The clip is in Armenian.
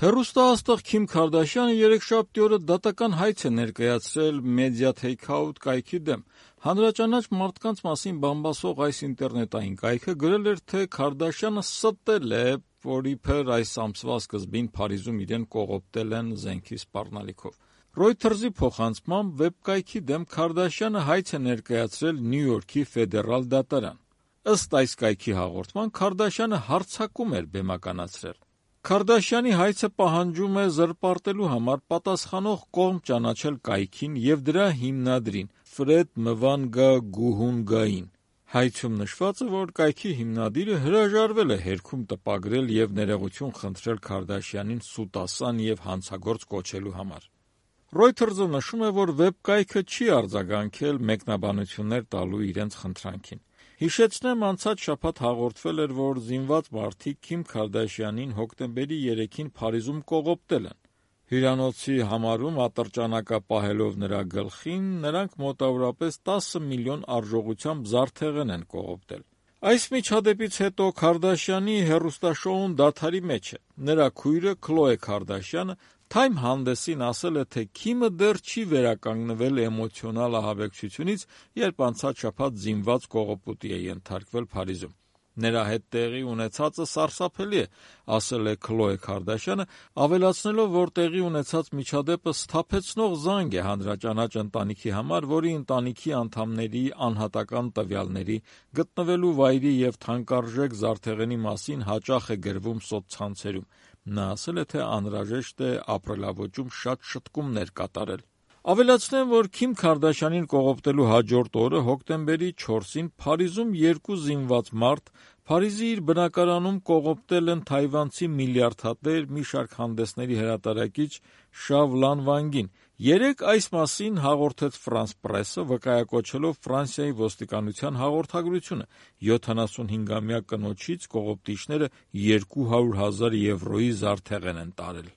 Հեռուստաաստղ Քիմ Քարդաշյանը երեքշաբթի օրը դատական հայց է ներկայացրել Media Takeout կայքի դեմ։ Հանրաճանաչ մարդկանց մասին բամբասող այս ինտերնետային կայքը գրել էր, թե Քարդաշյանը ստել է, որ իբր այս ամսվա սկզբին Փարիզում իրեն կողոպտել են զենքի սպառնալիքով։ Reuters-ի փոխանցմամբ վեբկայքի դեմ Քարդաշյանը հայց է ներկայացրել Նյու Յորքի ֆեդերալ դատարան։ Ըստ այս կայքի հաղորդման Քարդաշյանը հարձակում էր բեմականացրել։ Քարդաշյանի հայցը պահանջում է զրպարտելու համար պատասխանող կողմ ճանաչել կայքին և դրա հիմնադրին Ֆրեդ Մվանգա Գուհունգային։ Հայցում նշված է, որ կայքի հիմնադիրը հրաժարվել է հերքում տպագրել և ներողություն խնդրել Քարդաշյանին սուտասան և հանցագործ կոչելու համար։ Reuters-ը նշում է, որ վեբկայքը չի արձագանքել մեկնաբանություններ տալու իրենց խնդրանքին։ Հիշեցնեմ, անցած շաբաթ հաղորդվել էր, որ զինված մարդիկ Քիմ Քարդաշյանին հոկտեմբերի 3-ին Փարիզում կողոպտել են։ Հյուրանոցի համարում ատրճանակա պահելով նրա գլխին, նրանք մոտավորապես 10 միլիոն արժողությամբ զարդեղեն են կողոպտել։ Այս միջադեպից հետո Քարդաշյանի հեռուստաշոուն դադարի մեջ է։ Նրա քույրը Քլոե Քարդաշյանը Time հանդեսին ասել է, թե Քիմը դեռ չի վերականգնվել էմոցիոնալ ահաբեկչությունից, երբ անցած շաբաթ զինված կողոպուտի է ենթարկվել Փարիզում։ Նրա հետ տեղի ունեցածը սարսափելի է, ասել է Քլոե Քարդաշյանը, ավելացնելով, որ տեղի ունեցած միջադեպը սթափեցնող զանգ է հանրաճանաչ ընտանիքի համար, որի ընտանիքի անդամների անհատական տվյալների, գտնվելու վայրի և թանկարժեք զարդեղենի մասին հաճախ է գրվում սոցցանցերում։ Նա ասել է, թե անհրաժեշտ է ապրելավոճում շատ շտկումներ կատարել։ Ավելացնեմ, որ Քիմ Քարդաշյանին կողոպտելու հաջորդ օրը հոկտեմբերի 4-ին Փարիզում երկու զինված մարդ Փարիզի իր բնակարանում կողոպտել են թայվանցի միլիարդատեր, մի շարք հանդեսների հրատարակիչ Շավ Լանվանգին։ Երեկ այս մասին հաղորդեց Ֆրանս Պրեսը, վկայակոչելով Ֆրանսիայի ոստիկանության հաղորդագրությունը։ 75-ամյա կնոջից կողոպտիչները 200,000 եվրոյի զարդեղեն են տարել։